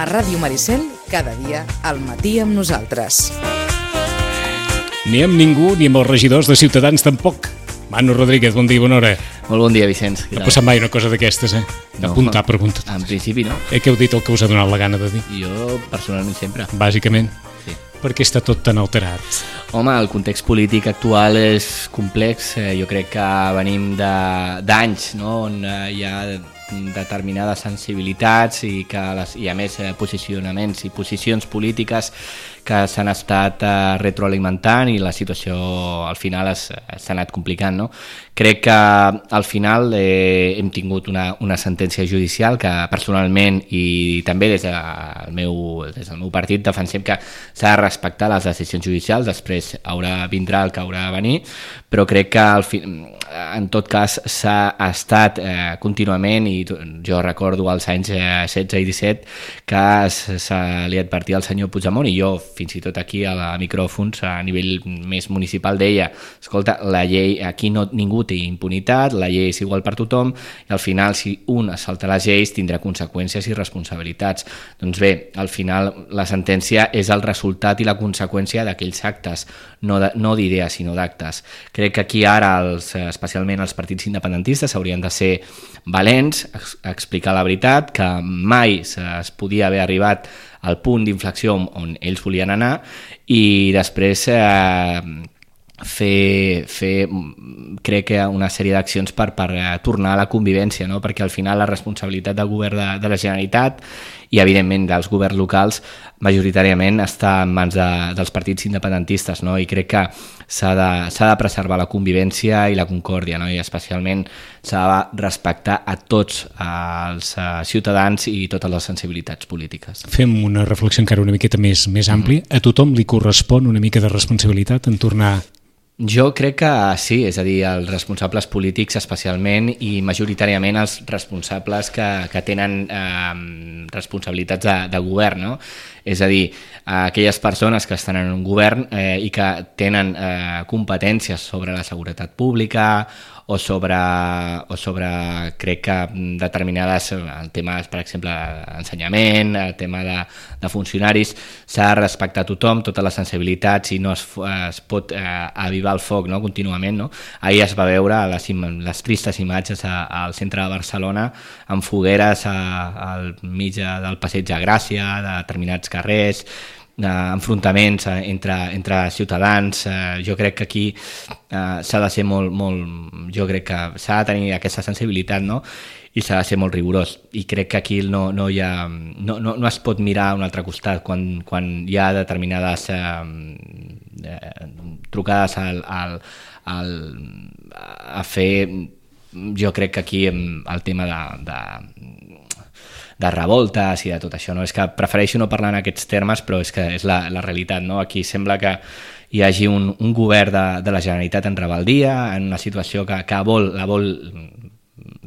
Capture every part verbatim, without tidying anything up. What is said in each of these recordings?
A Ràdio Maricel, cada dia, al matí amb nosaltres. Ni amb ningú, ni amb els regidors de Ciutadans tampoc. Manu Rodríguez, bon dia, bona hora. Molt bon dia, Vicenç. No ha passat mai una cosa d'aquestes, eh? D'apuntar No, preguntes. en principi no. Eh, que heu dit el que us ha donat la gana de dir? Jo, personalment, sempre. Bàsicament. Sí. Per què està tot tan alterat? Home, el context polític actual és complex. Eh, jo crec que venim de- d'anys, no?, on eh, hi ha determinades sensibilitats i, que les, i a més eh, posicionaments i posicions polítiques que s'han estat eh, retroalimentant i la situació al final es- s'ha anat complicant, no? Crec que al final eh, hem tingut una, una sentència judicial que personalment i també des del meu, des del meu partit defensem que s'ha de respectar les decisions judicials, després haurà vindrà el que haurà de venir, però crec que al fi, en tot cas s'ha estat eh, contínuament, i jo recordo als anys eh, setze i disset que se, se li advertia al senyor Puigdemont, i jo fins i tot aquí a la micròfons a nivell més municipal deia, escolta, la llei, aquí no, ningú té impunitat, la llei és igual per tothom i al final si un es salta les lleis tindrà conseqüències i responsabilitats. Doncs bé, al final la sentència és el resultat i la conseqüència d'aquells actes, no, de, no d'idees sinó d'actes. Crec que aquí ara, els, especialment els partits independentistes, haurien de ser valents, ex, explicar la veritat, que mai es podia haver arribat al punt d'inflexió on ells volien anar, i després eh, fer, fer crec que una sèrie d'accions per, per tornar a la convivència, no? Perquè al final la responsabilitat del govern de, de la Generalitat i evidentment dels governs locals majoritàriament està en mans de, dels partits independentistes, no? I crec que s'ha de, s'ha de preservar la convivència i la concòrdia, no? I especialment s'ha de respectar a tots els ciutadans i totes les sensibilitats polítiques. Fem una reflexió encara una miqueta més, més àmplia. A tothom li correspon una mica de responsabilitat en tornar... Jo crec que sí, és a dir, els responsables polítics especialment i majoritàriament els responsables que, que tenen eh, responsabilitats de, de govern, no? És a dir, aquelles persones que estan en un govern eh, i que tenen eh, competències sobre la seguretat pública o sobre, o sobre crec que determinades el tema, per exemple, ensenyament, el tema de, de funcionaris, s'ha de respectar tothom, totes les sensibilitats, i no es, es pot eh, avivar el foc, no?, contínuament, no? Ahir es va veure les, les tristes imatges a, al centre de Barcelona amb fogueres a, al mig del passeig de Gràcia, de determinats carrers, d'enfrontaments entre, entre ciutadans. Eh, jo crec que aquí eh, s'ha de ser molt, molt, jo crec que s'ha de tenir aquesta sensibilitat, no?, i s'ha de ser molt rigorós, i crec que aquí no, no, hi ha, no, no, no es pot mirar a un altre costat quan, quan hi ha determinades eh, eh, trucades al, al, al, a fer, jo crec que aquí el tema de, de de revoltes i de tot això, no? És que prefereixo no parlar en aquests termes, però és que és la, la realitat, no? Aquí sembla que hi hagi un, un govern de, de la Generalitat en rebeldia, en una situació que, que vol, la vol,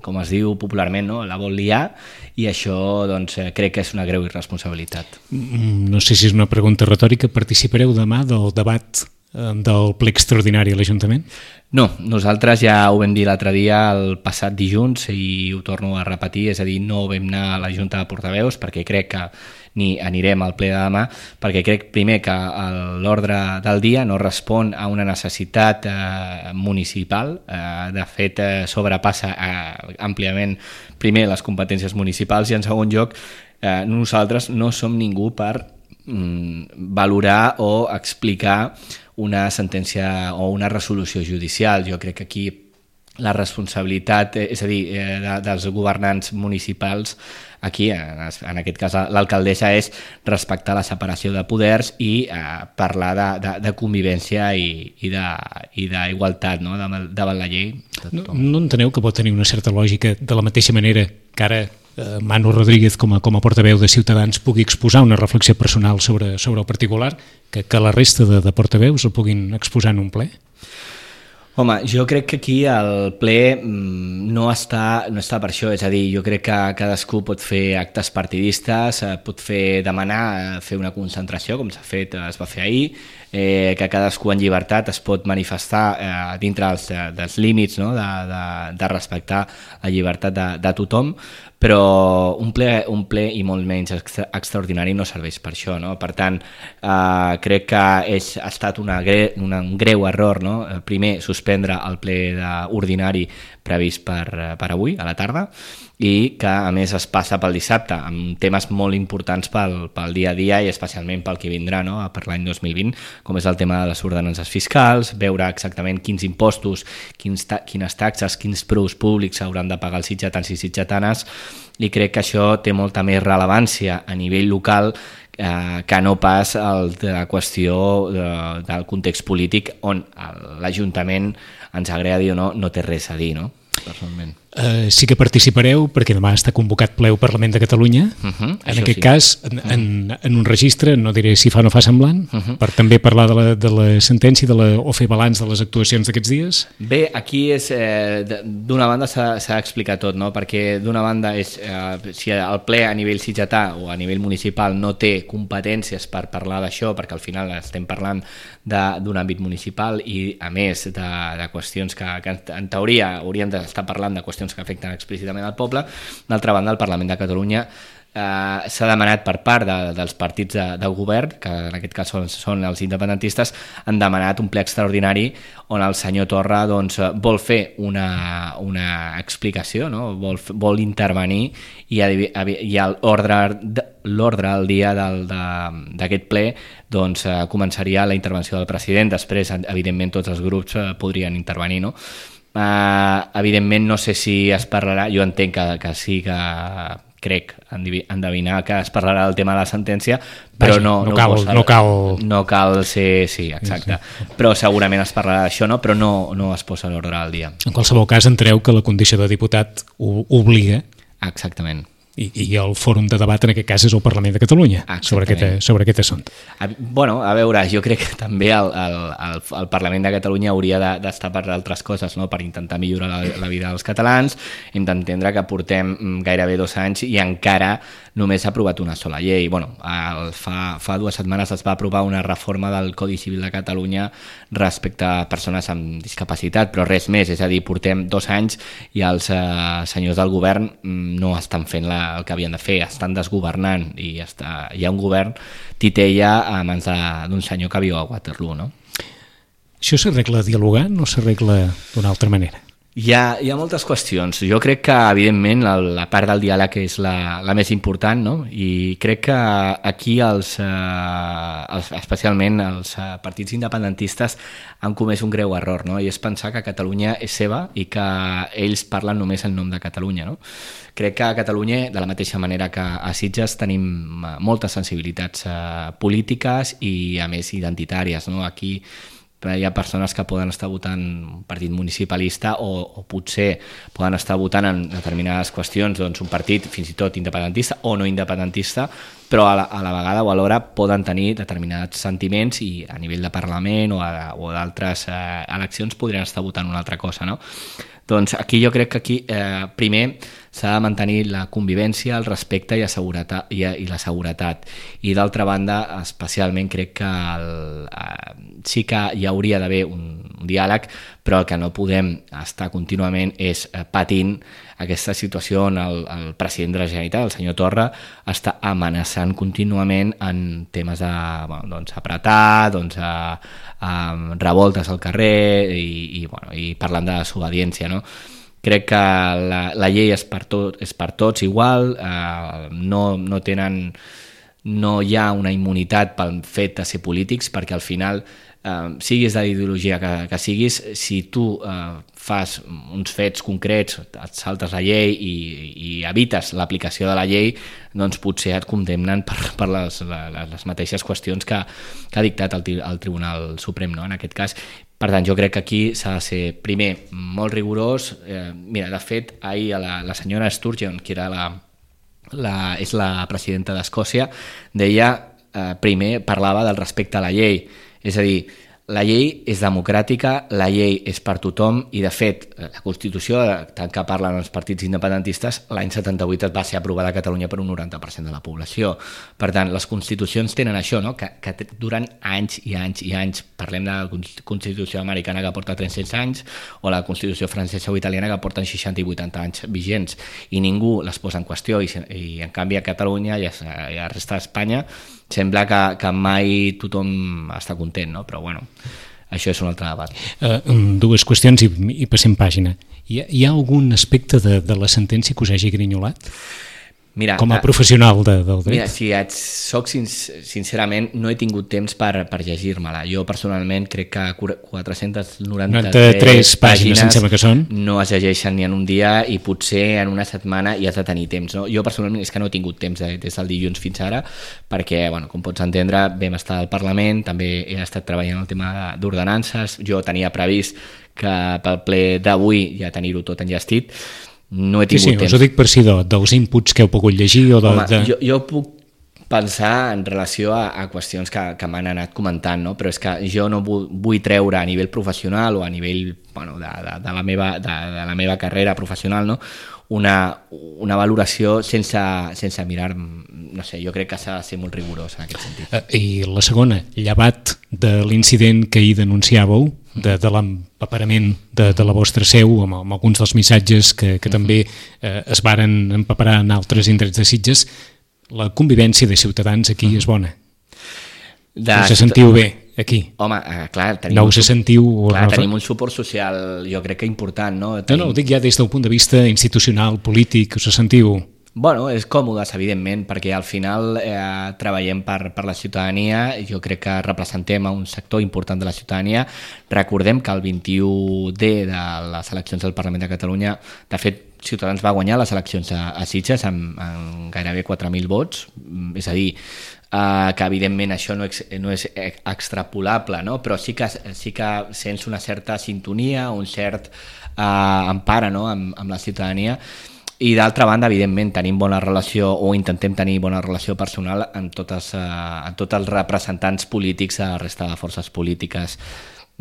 com es diu popularment, no?, la vol liar, i això doncs, crec que és una greu irresponsabilitat. No sé si és una pregunta retòrica, participareu demà del debat del ple extraordinari a l'Ajuntament? No, nosaltres ja ho vam dir l'altre dia, el passat dilluns, i ho torno a repetir, és a dir, no vam anar a la Junta de Portaveus perquè crec que ni anirem al ple de demà, perquè crec primer que l'ordre del dia no respon a una necessitat eh, municipal, eh, de fet eh, sobrepassa eh, àmpliament primer les competències municipals, i en segon lloc eh, nosaltres no som ningú per mm, valorar o explicar una sentència o una resolució judicial. Jo crec que aquí la responsabilitat, és a dir, eh, de, dels governants municipals, aquí, en, en aquest cas l'alcaldessa, és respectar la separació de poders i eh, parlar de, de, de convivència i, i d'igualtat, no?, davant la llei. No, no enteneu que pot tenir una certa lògica de la mateixa manera que ara eh, Manu Rodríguez, com a, com a portaveu de Ciutadans, pugui exposar una reflexió personal sobre, sobre el particular, que, que la resta de, de portaveus el puguin exposar en un ple? Home, jo crec que aquí el ple no està, no està per això, és a dir, jo crec que cadascú pot fer actes partidistes, pot fer demanar, fer una concentració, com s'ha fet, es va fer ahir, eh, que cadascú en llibertat es pot manifestar eh, dintre dels, dels límits, no?, de, de, de respectar la llibertat de, de tothom, però un ple, un ple i molt menys extra, extraordinari no serveix per això, no? Per tant, eh, crec que és, ha estat una, una, un greu error, no? Primer, suspendre el ple ordinari previst per, per avui, a la tarda, i que a més es passa pel dissabte amb temes molt importants pel, pel dia a dia i especialment pel que vindrà, no? Per l'any dos mil vint, com és el tema de les ordenances fiscals, veure exactament quins impostos, quins ta quines taxes, quins preus públics hauran de pagar els sitgetans i sitgetanes, i crec que això té molta més rellevància a nivell local eh, que no pas el de la qüestió de, del context polític on l'Ajuntament, ens agradi o no, no té res a dir, no? Personalment. Uh, sí que participareu perquè demà està convocat ple al Parlament de Catalunya, uh -huh, en aquest sí. cas en, en, en un registre, no diré si fa o no fa semblant, uh -huh. per també parlar de la, de la sentència de la, o fer balanç de les actuacions d'aquests dies. Bé, aquí és eh, d'una banda s'ha d'explicar tot, no? Perquè d'una banda és eh, si el ple a nivell sitgetà o a nivell municipal no té competències per parlar d'això, perquè al final estem parlant d'un àmbit municipal i a més de, de qüestions que, que en teoria hauríem d'estar parlant de qüestions que afecten explícitament al poble. D'altra banda, el Parlament de Catalunya eh, s'ha demanat per part de, dels partits de, del govern, que en aquest cas són, són els independentistes, han demanat un ple extraordinari on el senyor Torra doncs, vol fer una, una explicació, no? vol, vol intervenir i, i l'ordre al dia d'aquest ple doncs, eh, començaria la intervenció del president. Després, evidentment, tots els grups eh, podrien intervenir, no? Uh, evidentment no sé si es parlarà, jo entenc que, que sí que crec endevinar que es parlarà del tema de la sentència, però Vaja, no, no, no, cal, posa, no cal no cal ser, sí, exacte, sí, sí. Però segurament es parlarà d'això, no? Però no, no es posa l'ordre al dia. En qualsevol cas enteneu que la condició de diputat ho obliga. Exactament. I, i el fòrum de debat en aquest cas és el Parlament de Catalunya sobre aquest, sobre aquest assumpte. A, bueno, a veure, jo crec que també el, el, el, el Parlament de Catalunya hauria d'estar de, per altres coses, no? Per intentar millorar la, la vida dels catalans, hem d'entendre que portem gairebé dos anys i encara només s'ha aprovat una sola llei. Bueno, el, fa, fa dues setmanes es va aprovar una reforma del Codi Civil de Catalunya respecte a persones amb discapacitat, però res més, és a dir, portem dos anys i els eh, senyors del govern no estan fent la el que havien de fer, estan desgovernant i està, hi ha un govern titella a mans d'un senyor que viu a Waterloo, no? Això s'arregla dialogant o s'arregla d'una altra manera? Hi ha, hi ha moltes qüestions. Jo crec que, evidentment, la, la part del diàleg és la, la més important, no? I crec que aquí, els, eh, els, especialment els eh, partits independentistes, han comès un greu error, no? I és pensar que Catalunya és seva i que ells parlen només en nom de Catalunya, no? Crec que a Catalunya, de la mateixa manera que a Sitges, tenim moltes sensibilitats eh, polítiques i, a més, identitàries, no? Aquí hi ha persones que poden estar votant un partit municipalista o, o potser poden estar votant en determinades qüestions doncs un partit fins i tot independentista o no independentista, però a la, a la vegada o alhora poden tenir determinats sentiments i a nivell de Parlament o, a, o d'altres eh, eleccions podrien estar votant una altra cosa, no? Doncs aquí jo crec que aquí eh, primer s'ha de mantenir la convivència, el respecte i, la seguretat, i, i la seguretat. I d'altra banda, especialment crec que el, eh, sí que hi hauria d'haver un, un diàleg, però el que no podem estar contínuament és eh, patint aquesta situació on el, el president de la Generalitat, el senyor Torra, està amenaçant contínuament en temes de bueno, doncs, apretar, doncs, a, a revoltes al carrer i, i, bueno, i parlant de desobediència, no? Crec que la, la llei és per, tot, és per tots igual, eh, no, no tenen, no hi ha una immunitat pel fet de ser polítics, perquè al final, eh, siguis de l'ideologia que, que siguis, si tu eh, fas uns fets concrets, et saltes la llei i, i evites l'aplicació de la llei, doncs potser et condemnen per, per les, les, les mateixes qüestions que, que ha dictat el, el Tribunal Suprem, no? En aquest cas. Per tant, jo crec que aquí s'ha de ser, primer, molt rigorós. Eh, mira, de fet, ahir la, la senyora Sturgeon, que era la, la, és la presidenta d'Escòcia, deia, eh, primer, parlava del respecte a la llei. És a dir, la llei és democràtica, la llei és per tothom i, de fet, la Constitució, tant que parlen els partits independentistes, l'any setanta-vuit va ser aprovada a Catalunya per un noranta per cent de la població. Per tant, les constitucions tenen això, no? que, que duren anys i anys i anys. Parlem de la Constitució americana que porta tres-cents anys o la Constitució francesa o italiana que porten seixanta i vuitanta anys vigents i ningú les posa en qüestió i, i en canvi a Catalunya i a, i a la resta d'Espanya sembla que, que mai tothom està content, no? Però bueno, això és un altre debat. Uh, dues qüestions i, i passem pàgina. Hi ha, hi ha algun aspecte de, de la sentència que us hagi grinyolat? Mira, com a professional de, del dret? Mira, si et soc sincerament, no he tingut temps per, per llegir-me-la. Jo personalment crec que quatre-centes noranta-tres pàgines em sembla que són. No es llegeixen ni en un dia i potser en una setmana hi has de tenir temps. No? Jo personalment és que no he tingut temps des del dilluns fins ara perquè, bueno, com pots entendre, vam estar al Parlament, també he estat treballant el tema d'ordenances, jo tenia previst que pel ple d'avui ja tenir-ho tot enllestit. No he tingut sí, sí, temps. Us ho dic per si de, dels inputs que heu pogut llegir o de... Home, de... Jo, jo puc pensar en relació a, a qüestions que, que m'han anat comentant, no? Però és que jo no vull, vull treure a nivell professional o a nivell bueno, de, de, de, la meva, de, de la meva carrera professional, no? una, una valoració sense, sense mirar, no sé, jo crec que s'ha de ser molt rigorós en aquest sentit. I la segona, llevat de l'incident que ahir denunciàveu, de, de l'empaperament de, de la vostra seu, amb, amb alguns dels missatges que, que també eh, es varen empaperar en altres indrets de Sitges, la convivència de ciutadans aquí és bona. De us sentiu bé aquí? Home, eh, clar, tenim, no us un, sentiu... clar tenim un suport social, jo crec que important, no? Tenim... No, no, ho dic ja des del punt de vista institucional, polític, us sentiu... Bueno, és còmodes, evidentment, perquè al final eh, treballem per, per la ciutadania, jo crec que representem a un sector important de la ciutadania. Recordem que el vint-i-u D de les eleccions del Parlament de Catalunya, de fet, Ciutadans va guanyar les eleccions a, a Sitges amb, amb gairebé quatre mil vots, és a dir, eh, que evidentment això no, ex, no és extrapolable, no? Però sí que, sí que sents una certa sintonia, un cert eh, empara, no? amb, amb la ciutadania. I d'altra banda, evidentment, tenim bona relació o intentem tenir bona relació personal amb, totes, eh, amb tots els representants polítics de la resta de forces polítiques.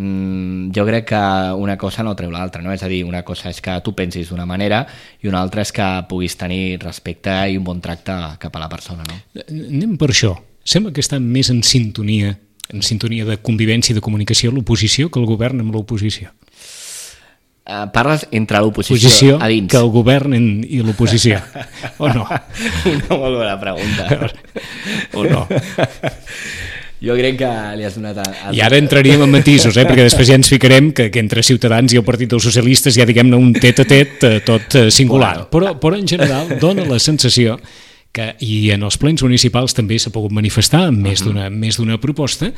Mm, jo crec que una cosa no treu l'altra, no? És a dir, una cosa és que tu pensis d'una manera i una altra és que puguis tenir respecte i un bon tracte cap a la persona, no? Anem per això. Sembla que està més en sintonia, en sintonia de convivència i de comunicació l'oposició que el govern amb l'oposició. Uh, parles entre l'oposició a dins. Que el govern en, i l'oposició, o no? Una molt bona pregunta. O no? Jo crec que li has donat... A, a... I ara entraríem en matisos, eh? Perquè després ja ens ficarem que, que entre Ciutadans i el Partit dels Socialistes ja diguem-ne un tet-a-tet eh, tot eh, singular. Bueno. Però, però en general dona la sensació que, i en els plens municipals també s'ha pogut manifestar amb més d'una més d'una proposta,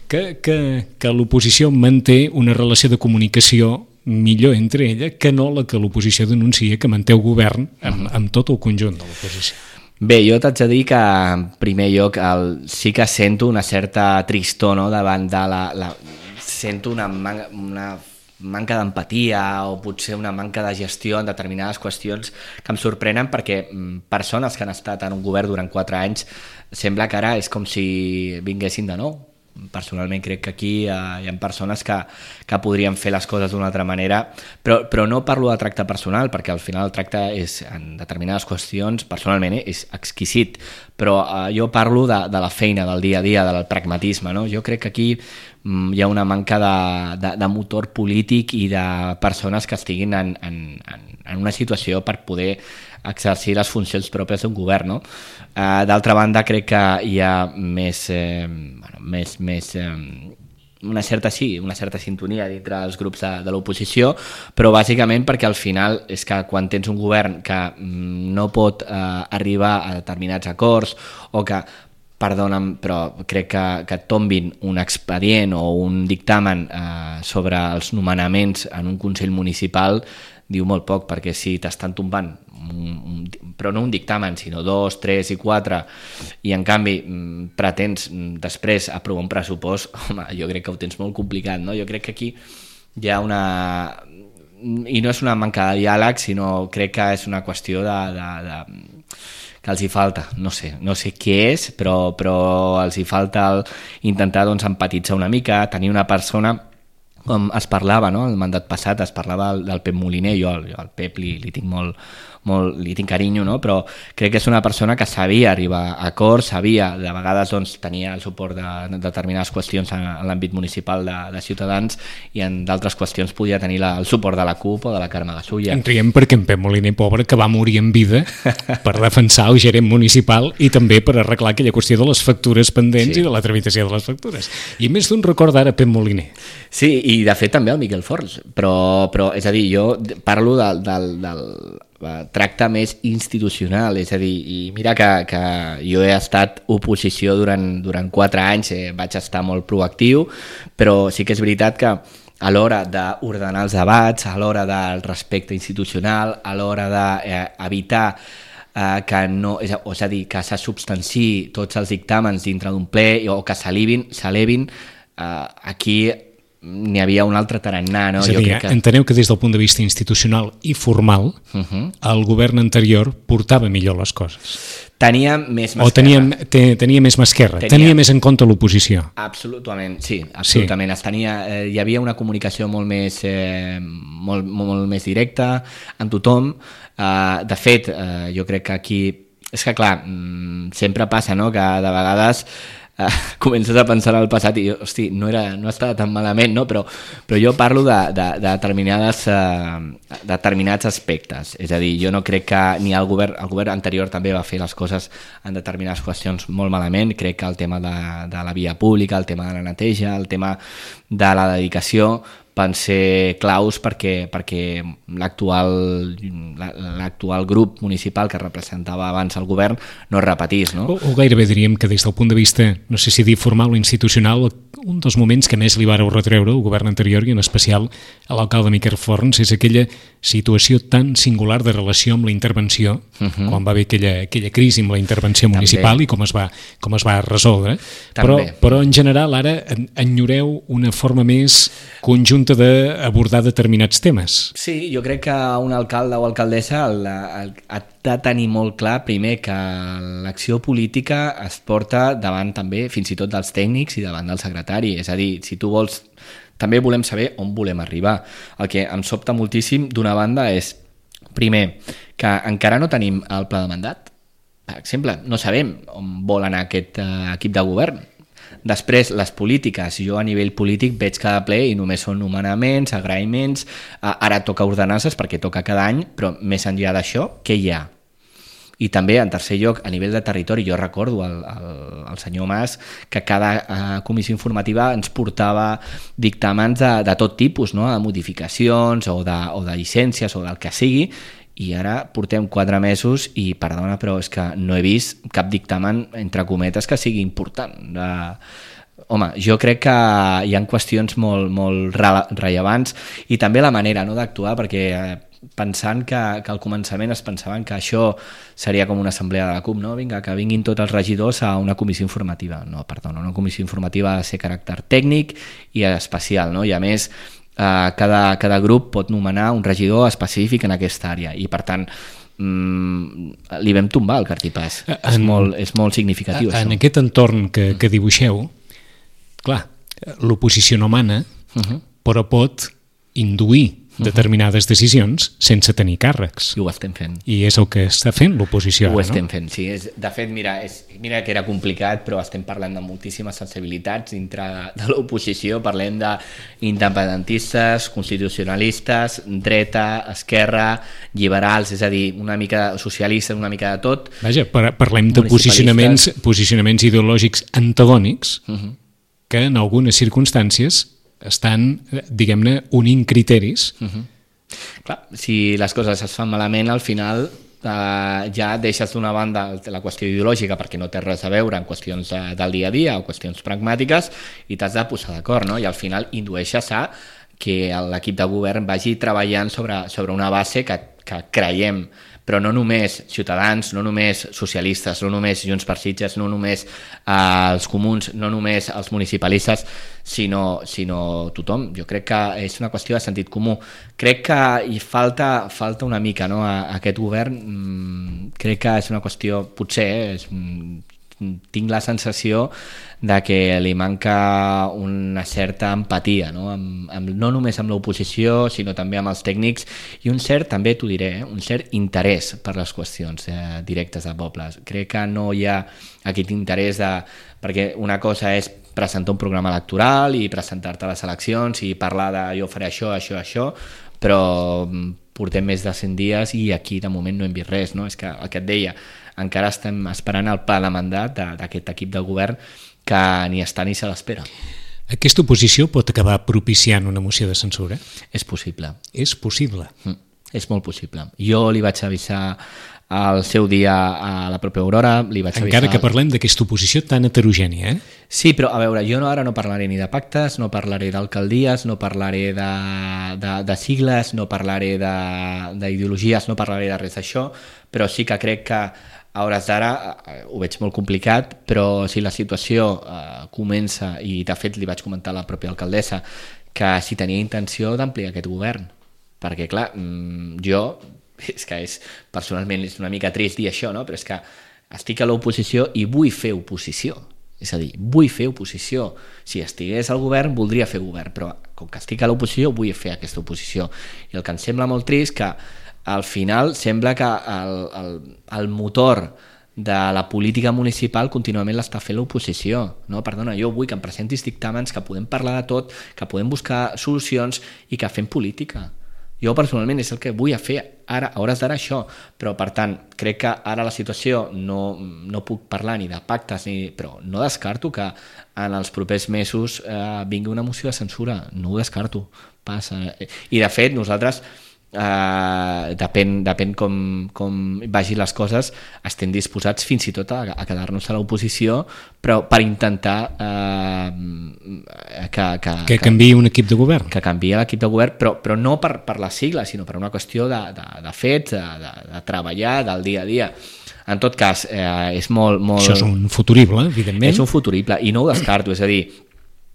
que, que, que l'oposició manté una relació de comunicació millor entre ella que no la que l'oposició denuncia que manté el govern amb, amb tot el conjunt de l'oposició. Bé, jo t'haig de dir que en primer lloc el, sí que sento una certa tristor, no? Davant de la... la sento una, man, una manca d'empatia o potser una manca de gestió en determinades qüestions que em sorprenen perquè persones que han estat en un govern durant quatre anys sembla que ara és com si vinguessin de nou. Personalment crec que aquí eh, hi ha persones que, que podrien fer les coses d'una altra manera, però, però no parlo de tracte personal, perquè al final el tracte és, en determinades qüestions, personalment eh, és exquisit, però eh, jo parlo de, de la feina, del dia a dia, del pragmatisme, no? Jo crec que aquí mm, hi ha una manca de, de, de motor polític i de persones que estiguin en, en, en, en una situació per poder exercir les funcions pròpies d'un govern, no? Uh, d'altra banda, crec que hi ha més, eh, bueno, més, més eh, una certa sí, una certa sintonia dintre dels grups de, de l'oposició, però bàsicament perquè al final és que quan tens un govern que mm, no pot eh, arribar a determinats acords o que perdona'm, però crec que, que tombin un expedient o un dictamen eh, sobre els nomenaments en un Consell Municipal diu molt poc, perquè si t'estan tombant un, un, però no un dictamen, sinó dos, tres i quatre, i en canvi pretens després aprovar un pressupost, home, jo crec que ho tens molt complicat, no? Jo crec que aquí hi ha una... i no és una manca de diàleg, sinó crec que és una qüestió de, de, de... que els hi falta, no sé, no sé què és, però, però els hi falta el, intentar doncs, empatitzar una mica, tenir una persona, com es parlava, no? El mandat passat es parlava del, del Pep Moliner, jo, jo al Pep li, li tinc molt, molt, li tinc carinyo, no? Però crec que és una persona que sabia arribar a acords, sabia, de vegades doncs, tenia el suport de, de determinades qüestions en, en l'àmbit municipal de, de Ciutadans i en d'altres qüestions podia tenir la, el suport de la CUP o de la Carme Gasulla. En riem perquè en Pep Moliner, pobre, que va morir en vida per defensar el gerent municipal i també per arreglar aquella qüestió de les factures pendents sí. i de la tramitació de les factures. I més d'un record ara Pep Moliner. Sí, i de fet també el Miquel Forns, però, però és a dir, jo parlo del, del, del tracte més institucional, és a dir, i mira que, que jo he estat oposició durant, durant quatre anys, eh, vaig estar molt proactiu, però sí que és veritat que a l'hora d'ordenar els debats, a l'hora del respecte institucional, a l'hora d'evitar eh, que no, és a, és a dir, que se substanciï tots els dictàmens dintre d'un ple o que s'elevin, s'elevin, eh, aquí n'hi havia un altre tarannà, no? És a dir, jo crec que... enteneu que des del punt de vista institucional i formal uh-huh. el govern anterior portava millor les coses. Tenia més mà o tenia, te, tenia més mà esquerra, tenia, tenia més en compte l'oposició. Absolutament, sí, absolutament. Sí. Es tenia, eh, hi havia una comunicació molt més, eh, molt, molt més directa amb tothom. Uh, de fet, uh, jo crec que aquí... És que clar, sempre passa, no?, que de vegades... Uh, comences a pensar en el passat i hosti, no, era, no estava tan malament, no? però, però jo parlo de, de, de, determinades, uh, determinats aspectes, és a dir, jo no crec que ni el govern, el govern anterior també va fer les coses en determinades qüestions molt malament, crec que el tema de, de la via pública, el tema de la neteja, el tema de la dedicació van ser claus perquè, perquè l'actual l'actual grup municipal que representava abans el govern no es repetís. No? O, o gairebé diríem que des del punt de vista, no sé si dir formal o institucional, un dels moments que més li vareu retreure al govern anterior i en especial a l'alcalde Miquel Forns és aquella situació tan singular de relació amb la intervenció, uh-huh. quan va haver aquella, aquella crisi amb la intervenció municipal també. I com es va, com es va resoldre. Però, però en general ara enyoreu una forma més conjunta d'abordar determinats temes. Sí, jo crec que un alcalde o alcaldessa el, el, ha de tenir molt clar primer que l'acció política es porta davant també fins i tot dels tècnics i davant del secretari, és a dir, si tu vols, també volem saber on volem arribar. El que em sobta moltíssim d'una banda és, primer, que encara no tenim el pla de mandat, per exemple, no sabem on vol anar aquest uh, equip de govern. Després, les polítiques, jo a nivell polític veig cada ple i només són nomenaments, agraïments, ara toca ordenances perquè toca cada any, però més enllà d'això, què hi ha? I també, en tercer lloc, a nivell de territori, jo recordo el, el, el senyor Mas que cada uh, comissió informativa ens portava dictàmens de, de tot tipus, no? De modificacions o de, o de llicències o del que sigui, i ara portem quatre mesos i, perdona, però és que no he vist cap dictamen, entre cometes, que sigui important. Uh, home, jo crec que hi ha qüestions molt, molt rellevants i també la manera, no?, d'actuar, perquè uh, pensant que, que al començament es pensaven que això seria com una assemblea de la CUP, no? Vinga, que vinguin tots els regidors a una comissió informativa. No, perdona, una comissió informativa ha de ser caràcter tècnic i especial, no? I a més, Uh, cada, cada grup pot nomenar un regidor específic en aquesta àrea i per tant mm, li vam tombar el cartipàs. En, és, molt, és molt significatiu. En això. Aquest entorn que, que dibuixeu, clar, l'oposició no mana, uh-huh. però pot induir determinades decisions sense tenir càrrecs. I ho estem fent. I és el que està fent l'oposició. Ho ara, estem no? fent, sí. És, de fet, mira, és, mira que era complicat, però estem parlant de moltíssimes sensibilitats dintre de l'oposició. Parlem d'independentistes, constitucionalistes, dreta, esquerra, liberals, és a dir, una mica socialistes, una mica de tot. Vaja, par parlem de posicionaments, posicionaments ideològics antagònics uh-huh. que en algunes circumstàncies estan, diguem-ne, unint criteris. Uh-huh. Clar, si les coses es fan malament, al final eh, ja deixes d'una banda la qüestió ideològica perquè no té res a veure en qüestions de, del dia a dia o qüestions pragmàtiques i t'has de posar d'acord, no? I al final indueixes a que l'equip de govern vagi treballant sobre, sobre una base que, que creiem però no només Ciutadans, no només socialistes, no només Junts per Sitges, no només eh, els comuns, no només els municipalistes, sinó, sinó tothom. Jo crec que és una qüestió de sentit comú. Crec que hi falta, falta una mica, no, a, a aquest govern. Mm, crec que és una qüestió, potser, eh, és, tinc la sensació de que li manca una certa empatia, no, amb, amb, no només amb l'oposició, sinó també amb els tècnics, i un cert, també t'ho diré, eh, un cert interès per les qüestions eh, directes de pobles. Crec que no hi ha aquest interès de... perquè una cosa és presentar un programa electoral i presentar-te a les eleccions i parlar de jo faré això, això, això, però portem més de cent dies i aquí de moment no hem vist res, no? És que el que et deia, encara estem esperant el pla de mandat d'aquest equip de govern que ni està ni se l'espera. Aquesta oposició pot acabar propiciant una moció de censura? És possible. És possible? Mm, és molt possible. Jo li vaig avisar al seu dia a la pròpia Aurora, li vaig Encara avisar... que parlem d'aquesta oposició tan heterogènia, eh? Sí, però a veure, jo no, ara no parlaré ni de pactes, no parlaré d'alcaldies, no parlaré de, de, de sigles, no parlaré d'ideologies, no parlaré de res d'això, però sí que crec que a hores d'ara eh, ho veig molt complicat, però si la situació eh, comença, i de fet li vaig comentar a la pròpia alcaldessa, que si tenia intenció d'ampliar aquest govern, perquè clar, jo, és que és, personalment és una mica trist dir això, no? Però és que estic a l'oposició i vull fer oposició, és a dir, vull fer oposició. Si estigués al govern voldria fer govern, però com que estic a l'oposició vull fer aquesta oposició. I el que em sembla molt trist que al final sembla que el, el, el motor de la política municipal contínuament l'està fent l'oposició, no? Perdona, jo vull que em presentis dictàmens, que podem parlar de tot, que podem buscar solucions i que fem política. Jo personalment és el que vull fer ara, a hores d'ara això, però per tant crec que ara la situació no, no puc parlar ni de pactes, ni, però no descarto que en els propers mesos eh, vingui una moció de censura, no ho descarto, passa. I de fet nosaltres Uh, depèn, depèn com, com vagin les coses, estem disposats fins i tot a, a quedar-nos a l'oposició, però per intentar uh, que, que, que canviï un equip de govern, que canviï l'equip de govern, però, però no per, per la sigla, sinó per una qüestió de, de, de fets, de, de, de treballar, del dia a dia. En tot cas, eh, és molt, molt... Això és un futurible, evidentment. És un futurible, i no ho descarto, és a dir,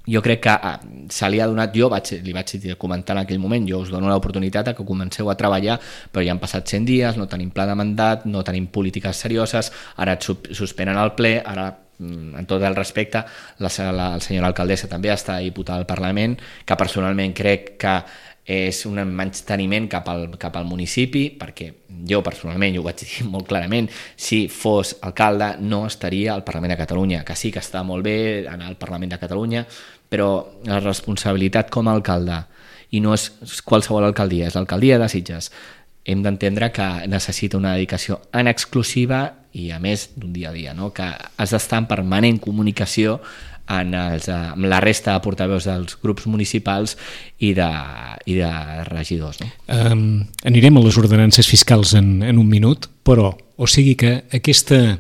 jo crec que ah, se li ha donat, jo vaig, li vaig comentar en aquell moment, jo us dono l'oportunitat que comenceu a treballar, però ja han passat cent dies, no tenim pla de mandat, no tenim polítiques serioses, ara et suspenen el ple, ara en tot el respecte, la, la, la senyora alcaldessa també està diputada al Parlament, que personalment crec que és un menysteniment cap al, cap al municipi, perquè jo personalment, jo ho vaig dir molt clarament, si fos alcalde no estaria al Parlament de Catalunya, que sí que està molt bé anar al Parlament de Catalunya, però la responsabilitat com a alcalde, i no és qualsevol alcaldia, és l'alcaldia de Sitges, hem d'entendre que necessita una dedicació en exclusiva i a més d'un dia a dia, no? Que has d'estar en permanent comunicació en els, amb la resta de portaveus dels grups municipals i de, i de regidors. No? Um, anirem a les ordenances fiscals en, en un minut, però o sigui que aquesta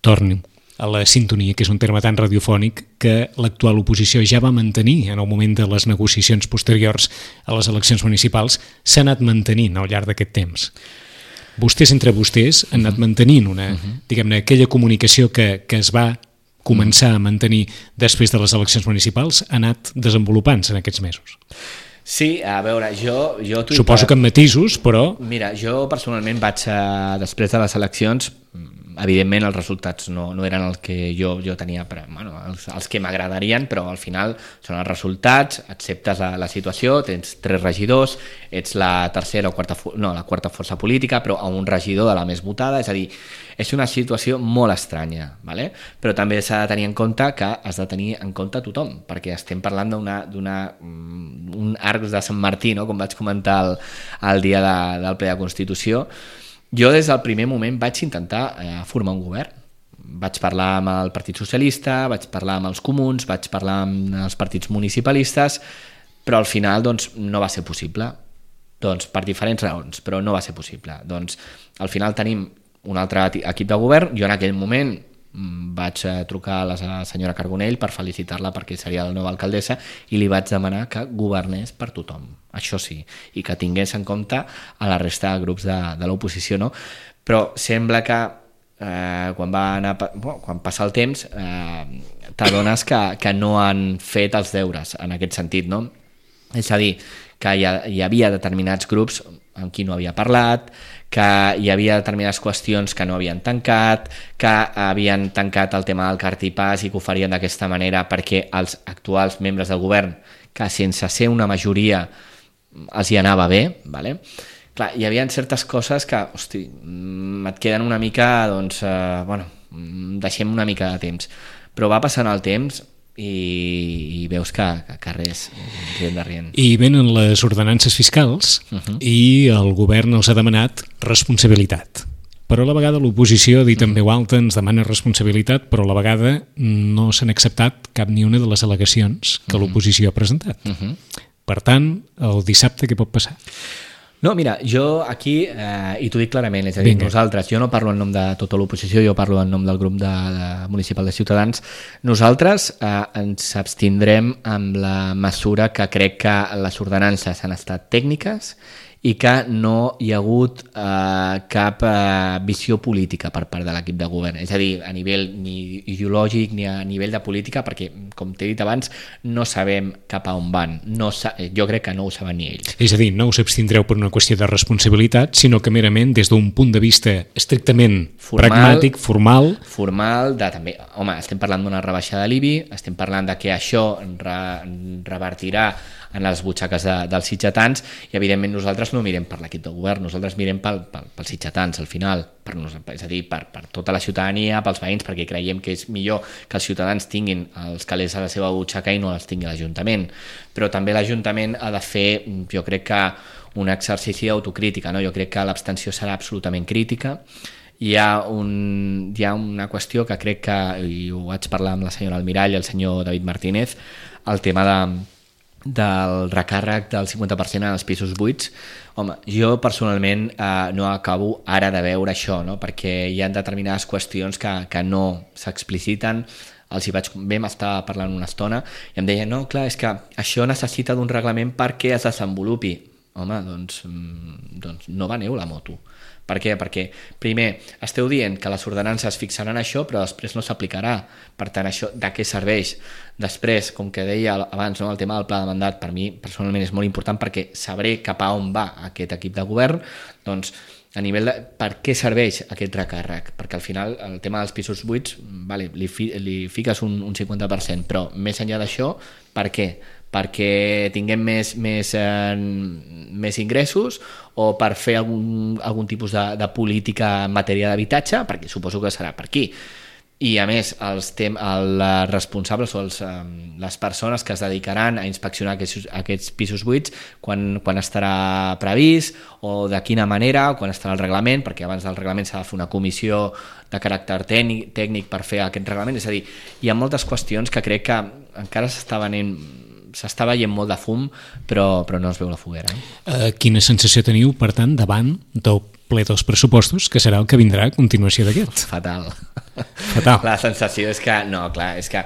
torni a la sintonia, que és un terme tan radiofònic que l'actual oposició ja va mantenir en el moment de les negociacions posteriors a les eleccions municipals, s'ha anat mantenint al llarg d'aquest temps. Vostès entre vostès han anat mantenint una, uh-huh. diguem-ne, aquella comunicació que, que es va començar a mantenir després de les eleccions municipals, ha anat desenvolupant-se en aquests mesos. Sí, a veure, jo... jo Suposo que amb matisos, però... Mira, jo personalment vaig, a, després de les eleccions, evidentment els resultats no, no eren el que jo, jo tenia, però, bueno, els, els que m'agradarien, però al final són els resultats, acceptes la, la situació, tens tres regidors, ets la tercera o quarta, no, la quarta força política, però a un regidor de la més votada, és a dir, és una situació molt estranya, ¿vale? Però també s'ha de tenir en compte que has de tenir en compte tothom, perquè estem parlant d'una, d'una, un arc de Sant Martí, no? Com vaig comentar el, el dia de, del ple de Constitució. Jo des del primer moment vaig intentar eh, formar un govern. Vaig parlar amb el Partit Socialista, vaig parlar amb els comuns, vaig parlar amb els partits municipalistes, però al final doncs, no va ser possible. Doncs, per diferents raons, però no va ser possible. Doncs, al final tenim un altre equip de govern. Jo en aquell moment vaig trucar a la senyora Carbonell per felicitar-la perquè seria la nova alcaldessa i li vaig demanar que governés per tothom, això sí, i que tingués en compte a la resta de grups de, de l'oposició, no? Però sembla que eh, quan, va anar, bueno, quan passa el temps eh, t'adones que, que no han fet els deures en aquest sentit, no? És a dir, que hi, ha, hi havia determinats grups amb qui no havia parlat, que hi havia determinades qüestions que no havien tancat, que havien tancat el tema del cartipàs i que ho farien d'aquesta manera perquè els actuals membres del govern, que sense ser una majoria els hi anava bé, vale? Clar, hi havia certes coses que, hosti, et queden una mica, doncs, eh, bueno, deixem una mica de temps. Però va passant el temps i, i veus que, que, que res, rient de rient. I venen les ordenances fiscals uh -huh. i el govern els ha demanat responsabilitat. Però a la vegada l'oposició ha dit en veu alta, ens demana responsabilitat, però a la vegada no s'han acceptat cap ni una de les al·legacions que uh -huh. l'oposició ha presentat. Uh -huh. Per tant, el dissabte què pot passar? No, mira, jo aquí, eh, i t'ho dic clarament, és a dir, Vinga. nosaltres, jo no parlo en nom de tota l'oposició, jo parlo en nom del grup de, de municipal de Ciutadans, nosaltres eh, ens abstindrem amb la mesura que crec que les ordenances han estat tècniques i que no hi ha hagut eh, cap eh, visió política per part de l'equip de govern, és a dir, a nivell ni ideològic ni a nivell de política, perquè, com t'he dit abans, no sabem cap a on van, no sa- jo crec que no ho saben ni ells. És a dir, no us abstindreu per una qüestió de responsabilitat, sinó que merament des d'un punt de vista estrictament formal, pragmàtic, formal... Formal, de també, home, estem parlant d'una rebaixa de l'I B I, estem parlant de que això re, revertirà en les butxaques de, dels sitgetans i evidentment nosaltres no mirem per l'equip de govern, nosaltres mirem pel, pel, pels sitgetans al final, per nos, és a dir, per, per tota la ciutadania, pels veïns, perquè creiem que és millor que els ciutadans tinguin els calés a la seva butxaca i no els tingui l'Ajuntament, però també l'Ajuntament ha de fer, jo crec que un exercici d'autocrítica, no? Jo crec que l'abstenció serà absolutament crítica. Hi ha, un, hi ha una qüestió que crec que, i ho vaig parlar amb la senyora Almirall i el senyor David Martínez, el tema de del recàrrec del cinquanta per cent en els pisos buits. Home, jo personalment eh, no acabo ara de veure això, no? Perquè hi ha determinades qüestions que, que no s'expliciten. Els hi vaig, vam estar parlant una estona i em deien, no, clar, és que això necessita d'un reglament perquè es desenvolupi. Home, doncs, doncs no veneu la moto. Per què? Perquè, primer, esteu dient que les ordenances fixaran això, però després no s'aplicarà. Per tant, això de què serveix? Després, com que deia abans, no, el tema del pla de mandat, per mi personalment és molt important perquè sabré cap a on va aquest equip de govern, doncs, a nivell de per què serveix aquest recàrrec, perquè al final el tema dels pisos buits, vale, li, fi, li fiques un, un cinquanta per cent, però més enllà d'això, per què? Perquè tinguem més, més, eh, més ingressos o per fer algun, algun tipus de, de política en matèria d'habitatge, perquè suposo que serà per aquí. I a més, els, tem, els responsables o els, eh, les persones que es dedicaran a inspeccionar aquests, aquests pisos buits, quan, quan estarà previst o de quina manera, o quan estarà el reglament, perquè abans del reglament s'ha de fer una comissió de caràcter tècnic, tècnic per fer aquest reglament. És a dir, hi ha moltes qüestions que crec que encara s'està venent s'està veient molt de fum, però, però no es veu la foguera. Eh? Uh, quina sensació teniu, per tant, davant del ple dels pressupostos, que serà el que vindrà a continuació d'aquest? Fatal. Fatal. La sensació és que, no, clar, és que,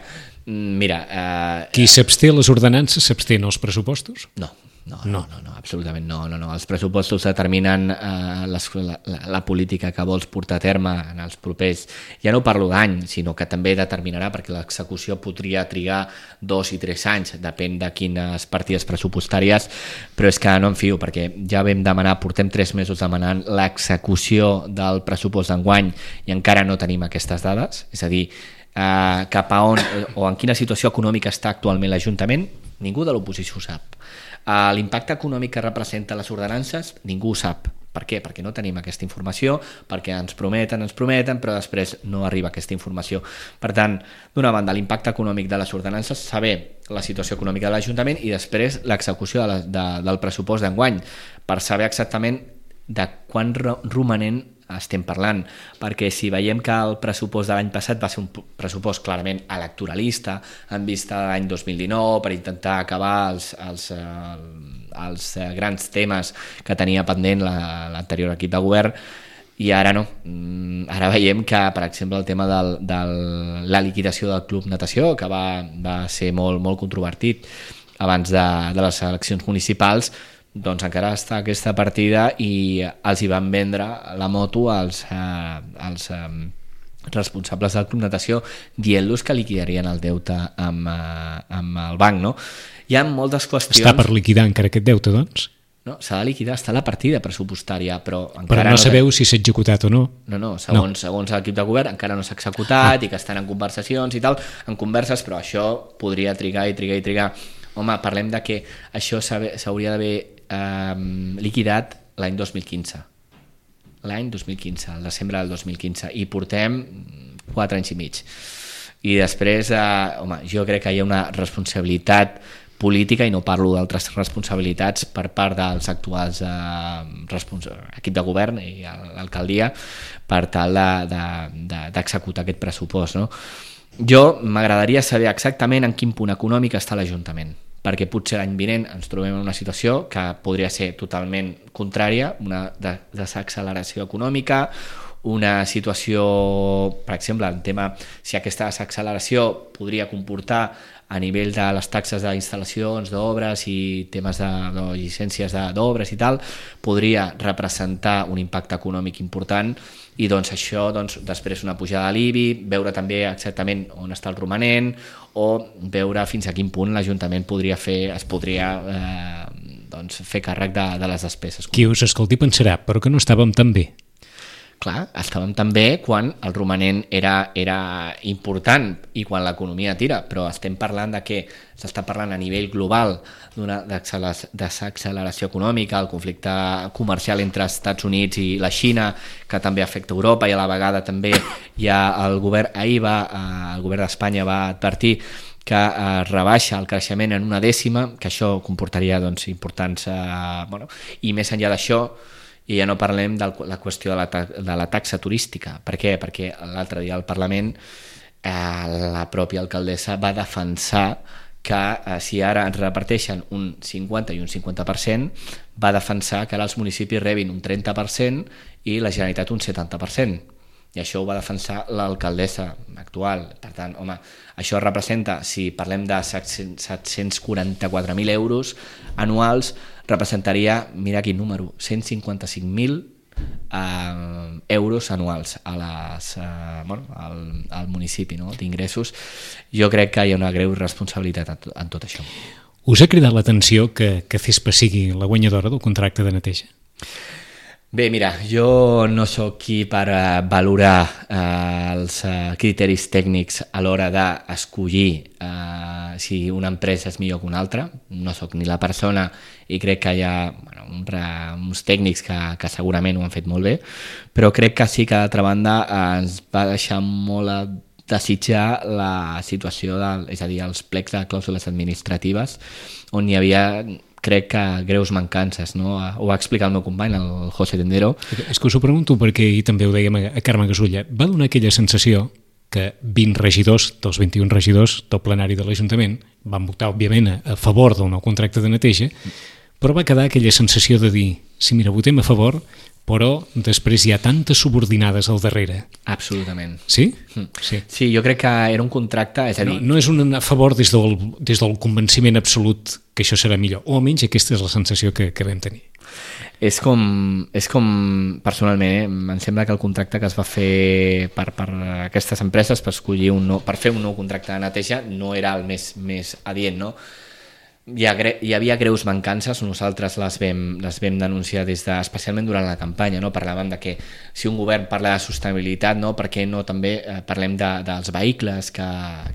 mira... Eh, Qui s'absté a les ordenances s'absté als pressupostos? No. No, no, no, no, absolutament no, no, no. Els pressupostos determinen eh, les, la, la política que vols portar a terme en els propers, ja no parlo d'any, sinó que també determinarà, perquè l'execució podria trigar dos i tres anys, depèn de quines partides pressupostàries, però és que no em fio, perquè ja vam demanar, portem tres mesos demanant l'execució del pressupost d'enguany i encara no tenim aquestes dades, és a dir, eh, cap a on o en quina situació econòmica està actualment l'Ajuntament, ningú de l'oposició ho sap. Uh, l'impacte econòmic que representa les ordenances ningú ho sap. Per què? Perquè no tenim aquesta informació, perquè ens prometen, ens prometen, però després no arriba aquesta informació. Per tant, d'una banda, l'impacte econòmic de les ordenances, saber la situació econòmica de l'Ajuntament i després l'execució de la, de, del pressupost d'enguany, per saber exactament de quan romanent estem parlant, perquè si veiem que el pressupost de l'any passat va ser un pressupost clarament electoralista en vista de l'any dos mil dinou per intentar acabar els, els, els grans temes que tenia pendent l'anterior equip de govern, i ara no. Ara veiem que, per exemple, el tema de la liquidació del Club Natació, que va, va ser molt, molt controvertit abans de, de les eleccions municipals, doncs encara està aquesta partida i els hi van vendre la moto als, eh, als eh, responsables del Club Natació dient-los que liquidarien el deute amb, eh, amb el banc, no? Hi ha moltes qüestions... Està per liquidar encara aquest deute, doncs? No, s'ha de liquidar, està la partida pressupostària, però encara però no, no sabeu si s'ha executat o no. No, no, segons, no. segons l'equip de govern encara no s'ha executat ah. i que estan en conversacions i tal, en converses, però això podria trigar i trigar i trigar. Home, parlem de que això s'hauria d'haver eh, liquidat l'any dos mil quinze. L'any dos mil quinze, el desembre del dos mil quinze, i portem quatre anys i mig. I després, eh, home, jo crec que hi ha una responsabilitat política, i no parlo d'altres responsabilitats per part dels actuals eh, equip de govern i l'alcaldia per tal d'executar de, de, aquest pressupost, no? Jo m'agradaria saber exactament en quin punt econòmic està l'Ajuntament, perquè potser l'any vinent ens trobem en una situació que podria ser totalment contrària, una desacceleració econòmica, una situació, per exemple, en tema, si aquesta desacceleració podria comportar a nivell de les taxes d'instal·lacions, d'obres i temes de, de llicències d'obres i tal, podria representar un impacte econòmic important, i doncs això, doncs, després una pujada de l'I B I, veure també exactament on està el romanent, o veure fins a quin punt l'Ajuntament podria fer, es podria eh, doncs, fer càrrec de, de les despeses. Qui us escolti pensarà, però que no estàvem tan bé. Clar, estàvem també quan el romanent era, era important i quan l'economia tira, però estem parlant de que s'està parlant a nivell global d'una desacceleració econòmica, el conflicte comercial entre els Estats Units i la Xina, que també afecta Europa, i a la vegada també hi ha el govern, ahir va, el govern d'Espanya va advertir que eh, rebaixa el creixement en una dècima, que això comportaria doncs, importants... Eh, bueno, i més enllà d'això, i ja no parlem de la qüestió de la, de la taxa turística. Per què? Perquè l'altre dia al Parlament eh, la pròpia alcaldessa va defensar que eh, si ara ens reparteixen un cinquanta i un cinquanta per cent, va defensar que ara els municipis rebin un trenta per cent i la Generalitat un setanta per cent. I això ho va defensar l'alcaldessa actual. Per tant, home, això representa, si parlem de set-cents quaranta-quatre mil euros anuals, representaria, mira quin número, cent cinquanta-cinc mil eh, euros anuals a les, eh, bueno, al, al municipi, no? D'ingressos. Jo crec que hi ha una greu responsabilitat en tot això. Us ha cridat l'atenció que, que Cespa sigui la guanyadora del contracte de neteja? Bé, mira, jo no sóc qui per uh, valorar uh, els uh, criteris tècnics a l'hora d'escollir uh, si una empresa és millor que una altra. No sóc ni la persona, i crec que hi ha bueno, un, uns tècnics que, que segurament ho han fet molt bé, però crec que sí que d'altra banda uh, ens va deixar molt a desitjar la situació, del, és a dir, els plecs de clàusules administratives, on hi havia... crec que greus mancances, no? Ho va explicar el meu company, el José Tendero. És que us ho pregunto perquè ahir també ho dèiem a Carme Gasulla. Va donar aquella sensació que vint regidors dels vint-i-un regidors del plenari de l'Ajuntament van votar, òbviament, a favor del nou contracte de neteja, però va quedar aquella sensació de dir, sí, mira, votem a favor, però després hi ha tantes subordinades al darrere. Absolutament. Sí? Sí, sí, jo crec que era un contracte... És a dir... no, no és un a favor des del, des del convenciment absolut que això serà millor, o almenys aquesta és la sensació que, que vam tenir. És com, és com personalment, eh? Em sembla que el contracte que es va fer per, per aquestes empreses per, escollir un nou, per fer un nou contracte de neteja no era el més, més adient, no? Hi, ha, hi havia greus mancances, nosaltres les vam, les vam denunciar des de, especialment durant la campanya, no? Parlàvem de que si un govern parla de sostenibilitat, no? Per què no també eh, parlem de, dels vehicles que,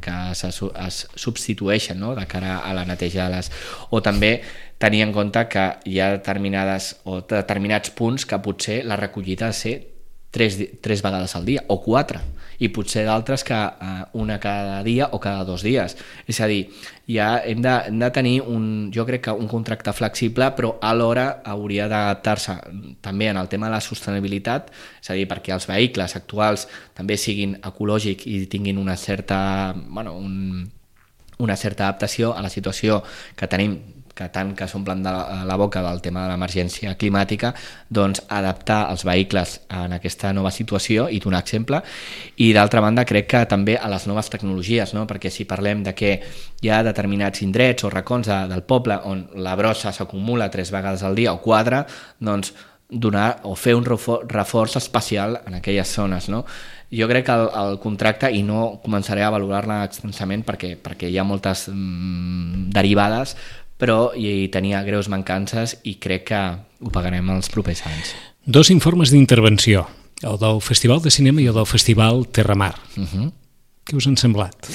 que es, es substitueixen, no? De cara a la neteja de les... O també tenir en compte que hi ha determinades o determinats punts que potser la recollida ha de ser tres, tres vegades al dia o quatre, i potser d'altres que eh, una cada dia o cada dos dies. És a dir, ja hem de, hem de tenir un, jo crec que un contracte flexible, però alhora hauria d'adaptar-se també en el tema de la sostenibilitat, és a dir, perquè els vehicles actuals també siguin ecològics i tinguin una certa, bueno, un, una certa adaptació a la situació que tenim que tant que s'omplen de la, la boca del tema de l'emergència climàtica, doncs adaptar els vehicles en aquesta nova situació i donar exemple. I d'altra banda crec que també a les noves tecnologies, no? Perquè si parlem de que hi ha determinats indrets o racons de, del poble on la brossa s'acumula tres vegades al dia o quatre, doncs donar o fer un reforç especial en aquelles zones, no? Jo crec que el, el contracte, i no començaré a valorar-la extensament perquè, perquè hi ha moltes mm, derivades, però hi tenia greus mancances i crec que ho pagarem els propers anys. Dos informes d'intervenció, el del Festival de Cinema i el del Festival Terramar. Uh-huh. Què us han semblat?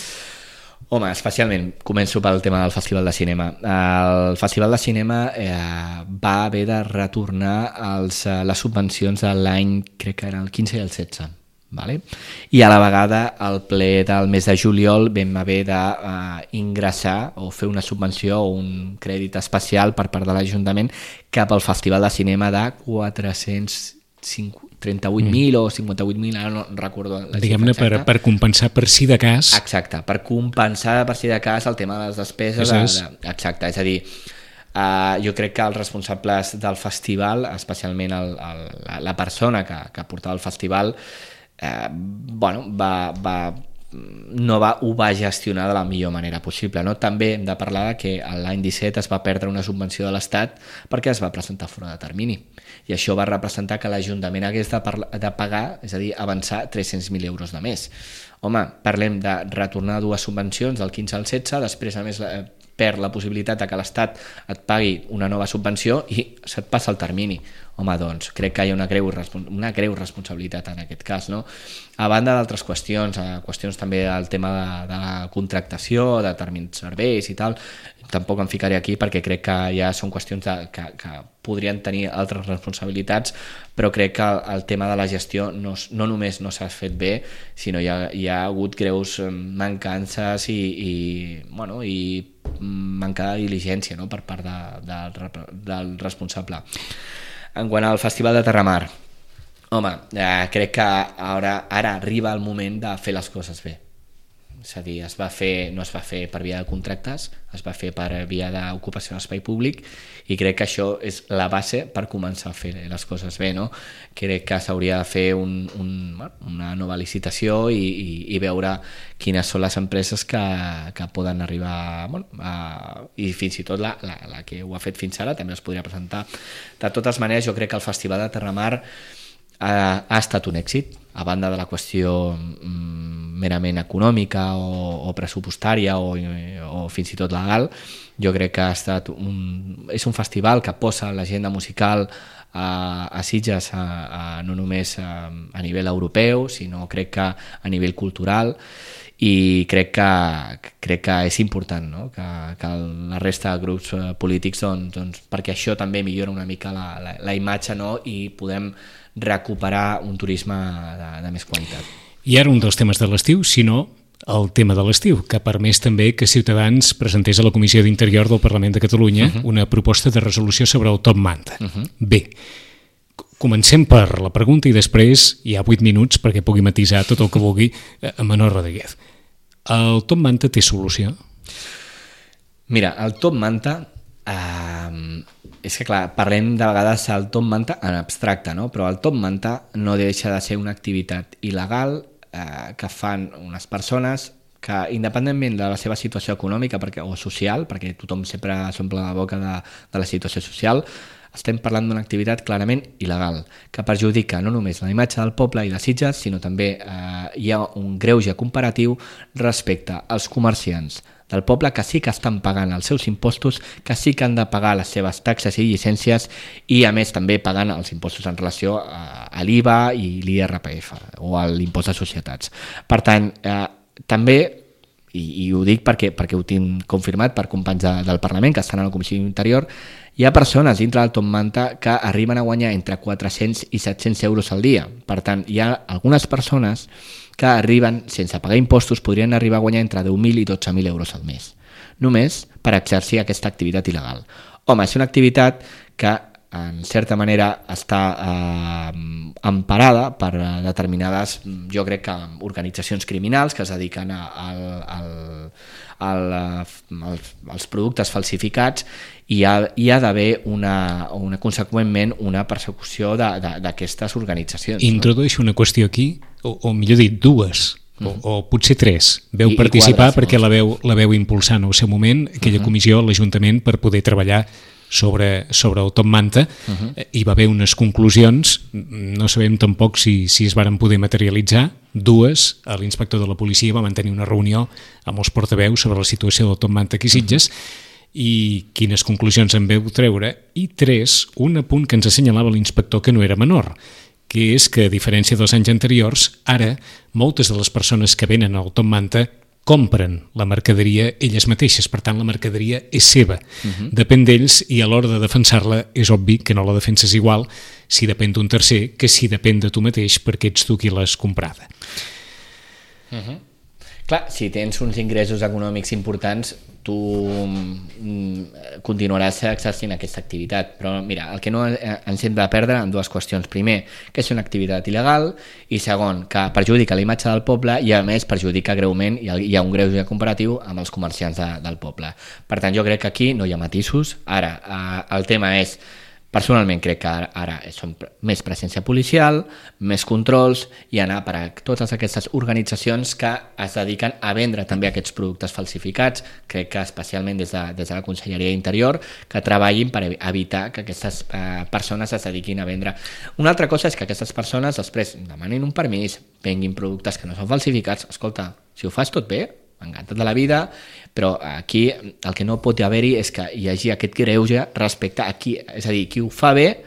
Home, especialment, començo pel tema del Festival de Cinema. El Festival de Cinema eh, va haver de retornar els, les subvencions de l'any, crec que era el quinze i el setze. Vale? I a la vegada al ple del mes de juliol vam haver d'ingressar uh, o fer una subvenció o un crèdit especial per part de l'Ajuntament cap al Festival de Cinema de quatre-cents trenta-vuit mil mm. o cinquanta-vuit mil, ara no recordo la diguem-ne per, per compensar per si de cas. Exacte, per compensar per si de cas el tema de les despeses. De, de, exacte, és a dir, uh, jo crec que els responsables del festival, especialment el, el, la, la persona que, que portava el festival, Eh, bueno, va, va, no va, ho va gestionar de la millor manera possible, no? També hem de parlar de que l'any disset es va perdre una subvenció de l'Estat perquè es va presentar fora de termini, i això va representar que l'Ajuntament hagués de, parla, de pagar, és a dir, avançar tres-cents mil euros de més. Home, parlem de retornar dues subvencions del quinze al setze, després a més eh, perd la possibilitat de que l'Estat et pagui una nova subvenció i se't passa el termini. Home, doncs, crec que hi ha una greu, una greu responsabilitat en aquest cas, no? A banda d'altres qüestions, qüestions també del tema de, de la contractació, de determinats serveis i tal, tampoc em ficaré aquí perquè crec que ja són qüestions de, que, que podrien tenir altres responsabilitats, però crec que el, el tema de la gestió no, no només no s'ha fet bé, sinó hi ha, hi ha hagut greus mancances i, i, bueno, i manca de diligència, no?, per part de, de, del responsable. En quant al Festival de Terramar, home, eh, crec que ara, ara arriba el moment de fer les coses bé. És a dir, es va fer, no es va fer per via de contractes, es va fer per via d'ocupació d'espai públic, i crec que això és la base per començar a fer les coses bé, no? Crec que s'hauria de fer un, un, una nova licitació i, i, i veure quines són les empreses que, que poden arribar, bueno, a, i fins i tot la, la, la que ho ha fet fins ara també es podria presentar. De totes maneres, jo crec que el Festival de Terramar ha, ha estat un èxit, a banda de la qüestió mm, merament econòmica o, o pressupostària o, o fins i tot legal. Jo crec que ha estat un, és un festival que posa l'agenda musical a, a Sitges a, a, no només a, a nivell europeu, sinó crec que a nivell cultural, i crec que, crec que és important, no?, que, que la resta de grups polítics, doncs, doncs, perquè això també millora una mica la, la, la imatge, no?, i podem recuperar un turisme de, de més qualitat. I ara un dels temes de l'estiu, sinó el tema de l'estiu, que ha permès també que Ciutadans presentés a la Comissió d'Interior del Parlament de Catalunya uh-huh. una proposta de resolució sobre el top manta. Uh-huh. Bé, comencem per la pregunta i després hi ha vuit minuts perquè pugui matisar tot el que vulgui a Manol Rodríguez. El top manta té solució? Mira, el top manta... Uh, és que clar, parlem de vegades del top manta en abstracte, no? Però el top manta no deixa de ser una activitat il·legal eh, que fan unes persones que, independentment de la seva situació econòmica perquè, o social, perquè tothom sempre s'omple la boca de, de la situació social, estem parlant d'una activitat clarament il·legal, que perjudica no només la imatge del poble i de Sitges, sinó també eh, hi ha un greuge comparatiu respecte als comerciants del poble que sí que estan pagant els seus impostos, que sí que han de pagar les seves taxes i llicències i a més també pagant els impostos en relació a, a l'I V A i l'I R P F o a l'impost de societats. Per tant, eh, també, i, i ho dic perquè, perquè ho tinc confirmat per companys de, del Parlament que estan a la Comissió d'Interior, hi ha persones dintre del top manta que arriben a guanyar entre quatre-cents i set-cents euros al dia. Per tant, hi ha algunes persones que arriben, sense pagar impostos, podrien arribar a guanyar entre deu mil i dotze mil euros al mes, només per exercir aquesta activitat il·legal. Home, és una activitat que en certa manera està eh, emparada per determinades, jo crec que organitzacions criminals que es dediquen a, a, a, a, als, als productes falsificats, i hi ha, hi ha d'haver una, una, conseqüentment una persecució d'aquestes organitzacions. Introdueixo una qüestió aquí, o, o millor dit, dues, o, o potser tres. Veu I, participar i quadres, perquè la veu, la veu impulsar en el seu moment aquella uh -huh. comissió a l'Ajuntament per poder treballar sobre, sobre el Top Manta. Uh -huh. Hi va haver unes conclusions, no sabem tampoc si, si es varen poder materialitzar. Dues, l'inspector de la policia va mantenir una reunió amb els portaveus sobre la situació del Top Manta aquí a Sitges, uh -huh. i quines conclusions en veu treure. I tres, un apunt que ens assenyalava l'inspector que no era menor, que és que, a diferència dels anys anteriors, ara moltes de les persones que venen al Top Manta compren la mercaderia elles mateixes, per tant la mercaderia és seva, uh-huh. depèn d'ells, i a l'hora de defensar-la és obvi que no la defenses igual si depèn d'un tercer que si depèn de tu mateix perquè ets tu qui l'has comprada. Uh-huh. Clar, si tens uns ingressos econòmics importants, tu continuaràs exercint aquesta activitat. Però mira, el que no ens hem de perdre en dues qüestions. Primer, que és una activitat il·legal, i segon, que perjudica la imatge del poble i a més perjudica greument, i hi ha un greuge comparatiu amb els comerciants de, del poble. Per tant, jo crec que aquí no hi ha matisos. Ara, el tema és, personalment crec que ara, ara són més presència policial, més controls, i anar per a totes aquestes organitzacions que es dediquen a vendre també aquests productes falsificats. Crec que especialment des de, des de la Conselleria d'Interior, que treballin per evitar que aquestes eh, persones es dediquin a vendre. Una altra cosa és que aquestes persones després demanin un permís, venguin productes que no són falsificats. Escolta, si ho fas tot bé, encantat de la vida, però aquí el que no pot haver-hi és que hi hagi aquest greuge respecte a qui, és a dir, qui ho fa bé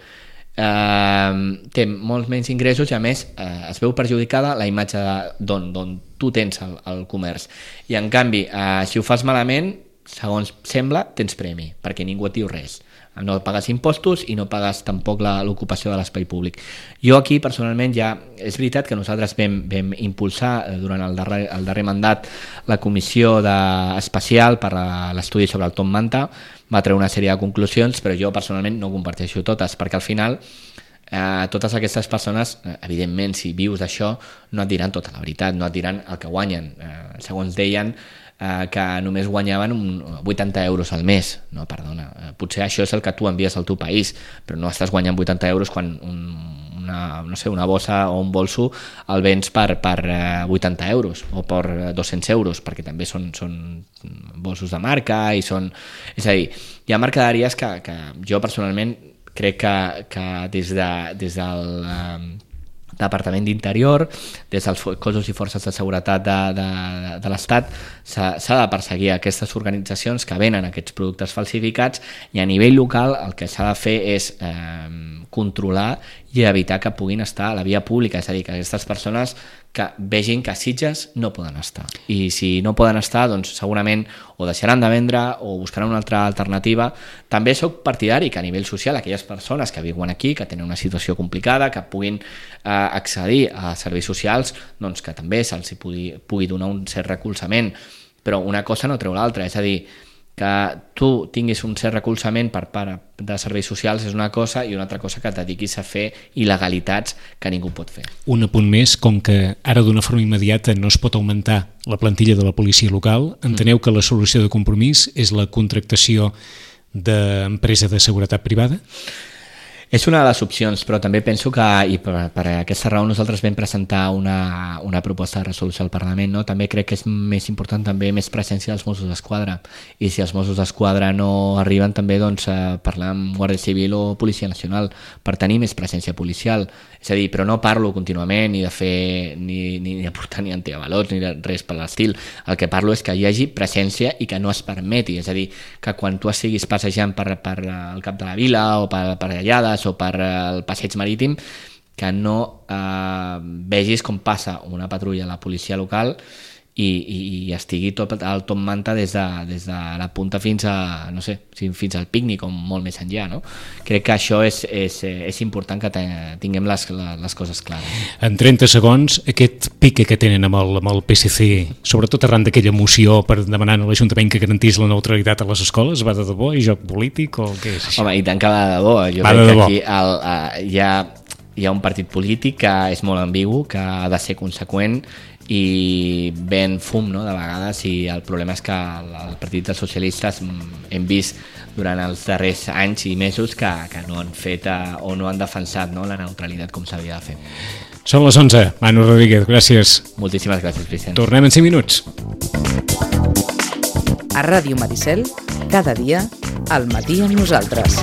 eh, té molts menys ingressos i a més eh, es veu perjudicada la imatge d'on tu tens el, el comerç, i en canvi eh, si ho fas malament, segons sembla, tens premi, perquè ningú et diu res. No pagues impostos i no pagues tampoc l'ocupació de l'espai públic. Jo aquí personalment ja, és veritat que nosaltres vam, vam impulsar durant el darrer, el darrer mandat la comissió de, especial per a l'estudi sobre el Top Manta, va treure una sèrie de conclusions, però jo personalment no comparteixo totes, perquè al final eh, totes aquestes persones, evidentment si vius d'això, no et diran tota la veritat, no et diran el que guanyen. Eh, segons deien, que només guanyaven un vuitanta euros al mes. No, perdona, potser això és el que tu envies al teu país, però no estàs guanyant vuitanta euros quan un, una, no sé, una bossa o un bolso el vens per, per vuitanta euros o per dos-cents euros, perquè també són, són bolsos de marca i són... És a dir, hi ha mercaderies que, que jo personalment crec que, que des, de, des del... Um, Departament d'Interior, des dels cossos i forces de seguretat de, de, de l'Estat, s'ha de perseguir aquestes organitzacions que venen aquests productes falsificats, i a nivell local el que s'ha de fer és eh, controlar i evitar que puguin estar a la via pública, és a dir, que aquestes persones que vegin que a Sitges no poden estar, i si no poden estar, doncs segurament o deixaran de vendre o buscaran una altra alternativa. També soc partidari que a nivell social aquelles persones que viuen aquí, que tenen una situació complicada, que puguin eh, accedir a serveis socials, doncs que també se'ls pugui, pugui donar un cert recolzament, però una cosa no treu l'altra, és a dir, que tu tinguis un cert recolzament per part de serveis socials és una cosa, i una altra cosa que et dediquis a fer il·legalitats que ningú pot fer. Un apunt més, com que ara d'una forma immediata no es pot augmentar la plantilla de la policia local, enteneu que la solució de compromís és la contractació d'empresa de seguretat privada? És una de les opcions, però també penso que, i per, per aquesta raó nosaltres vam presentar una, una proposta de resolució al Parlament, no? També crec que és més important també més presència dels Mossos d'Esquadra, i si els Mossos d'Esquadra no arriben també doncs, a parlar amb Guàrdia Civil o Policia Nacional per tenir més presència policial. És a dir, però no parlo contínuament ni de fer ni, ni de portar ni antiavalots ni de res per l'estil. El que parlo és que hi hagi presència i que no es permeti, és a dir, que quan tu estiguis passejant per, per el cap de la vila o per, per Gallades o per el passeig marítim, que no eh, vegis com passa una patrulla a la policia local i, i, i estigui tot el Top Manta des de, des de la punta fins a, no sé, fins al pícnic o molt més enllà, no? Crec que això és, és, és important que tinguem les, les coses clares. En trenta segons, aquest pique que tenen amb el, amb el P S C, sobretot arran d'aquella moció per demanar a l'Ajuntament que garantís la neutralitat a les escoles, va de debò i joc polític o què és això? Home, i tant que va de debò. Jo va crec de que debò. aquí el, uh, hi, ha, hi ha un partit polític que és molt ambigu, que ha de ser conseqüent i ven fum, no?, de vegades, i el problema és que el, el Partit dels Socialistes hem vist durant els darrers anys i mesos que, que no han fet uh, o no han defensat, no?, la neutralitat com s'havia de fer. Són les onze. Manu Rodríguez, gràcies. Moltíssimes gràcies, Vicent. Tornem en cinc minuts. A Ràdio Maricel, cada dia, al matí amb nosaltres.